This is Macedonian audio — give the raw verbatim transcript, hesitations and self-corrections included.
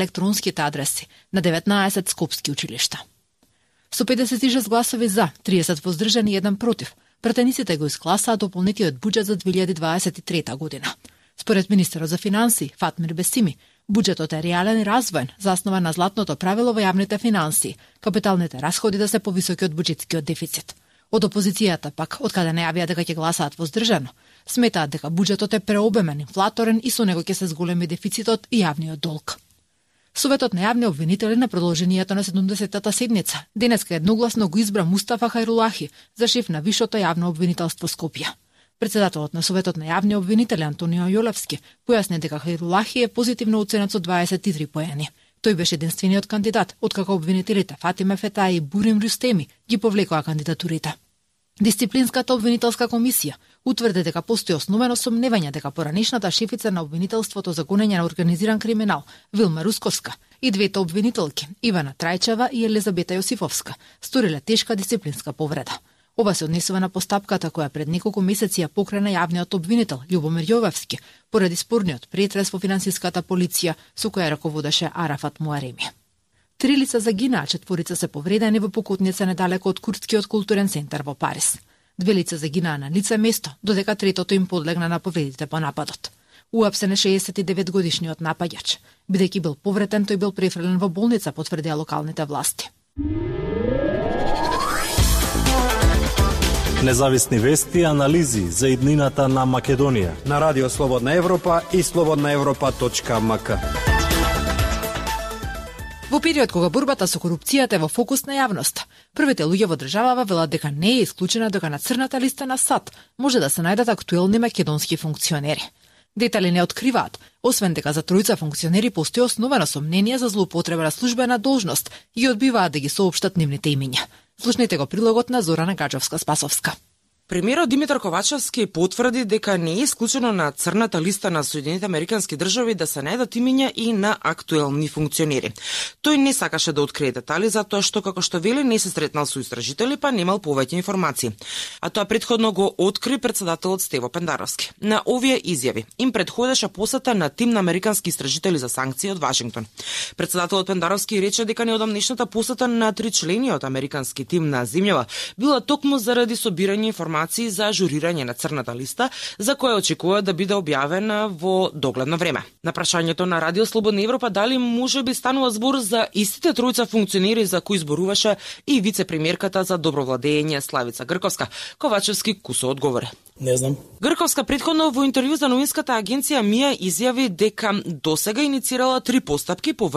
електронските адреси на деветнаесет скопски училишта. Со педесет и шест гласови за, триесет воздржани и еден против, пратениците го искласаа дополнетиот буџет за две илјади дваесет и трета година. Според министерот за финансии Фатмир Бесими, буџетот е реален и развоен, заснован на златното правило во јавните финансии, капиталните расходи да се повисоки од буџетскиот дефицит. Од опозицијата пак, откаде најавија дека ќе гласаат воздржано, сметаат дека буџетот е преобемен, инфлаторен и со него ќе се зголеми дефицитот и јавниот долг. Советот на јавни обвинители на продолжението на седумдесетата седница денеска едногласно го избра Мустафа Хајрулахи за шеф на Вишото јавно обвинителство Скопје. Председателот на Советот на јавни обвинители Антонио Јолевски појасни дека Хајрулахи е позитивно оценет со дваесет и три поени. Тој беше единствениот кандидат, откако обвинителите Фатиме Фетаи и Бурим Рустеми ги повлекоа кандидатурите. Дисциплинската обвинителска комисија утврди дека постои основано сомневање дека поранешната шефица на обвинителството за гонење на организиран криминал Вилма Русковска и двете обвинителки Ивана Трајчева и Елизабета Јосифовска сториле тешка дисциплинска повреда. Ова се однесува на постапката која пред неколку месеци ја покрена јавниот обвинител Љубомир Јовевски поради спорниот претрес во финансиската полиција со која раководеше Арафат Муареми. Три лица загинаа, четворица се повредени во покутница недалеку од Курдскиот културен центар во Париз. Две лица загинаа на лице место, додека третото им подлегна на повредите по нападот. Уапсен е шеесет и девет годишниот напаѓач. Бидејќи бил повреден, тој бил префрлен во болница, потврдија локалните власти. Независни вести и анализи за иднината на Македонија на Радио Слободна Европа и слободна европа точка ем ка. Во период кога борбата со корупцијата е во фокус на јавноста, првите луѓе во државава велат дека не е исклучено дека на црната листа на САД може да се најдат актуелни македонски функционери. Детали не откриваат, освен дека за тројца функционери постои основано сомнение за злоупотреба на службена должност и одбиваат да ги соопштат нивните имиња. Слушнете го прилогот на Зорана Гаджовска-Спасовска. Премиерот Димитар Ковачевски потврди дека не е исклучено на црната листа на Соединените Американски држави да се најдат имиња и на актуелни функционери. Тој не сакаше да открие детали затоа што, како што вели, не се сретнал со истражители, па немал повеќе информации. А тоа претходно го откри председателот Стево Пендаровски. На овие изјави им предходеше посета на тим на американски истражители за санкции од Вашингтон. Председателот Пендаровски рече дека неодамнешната посета на тричлениот американски тим на земјава била токму заради собирање информации за ажурирање на црната листа, за која очекува да биде објавена во догледно време. На прашањето на Радио Слободна Европа дали можеби станува збор за истите тројца функционери за кои зборуваше и вице-премиерката за добро владење Славица Грковска, Ковачевски кусо одговори: Не знам. Грковска претходно во интервју за новинската агенција Мија изјави дека досега иницирала три постапки по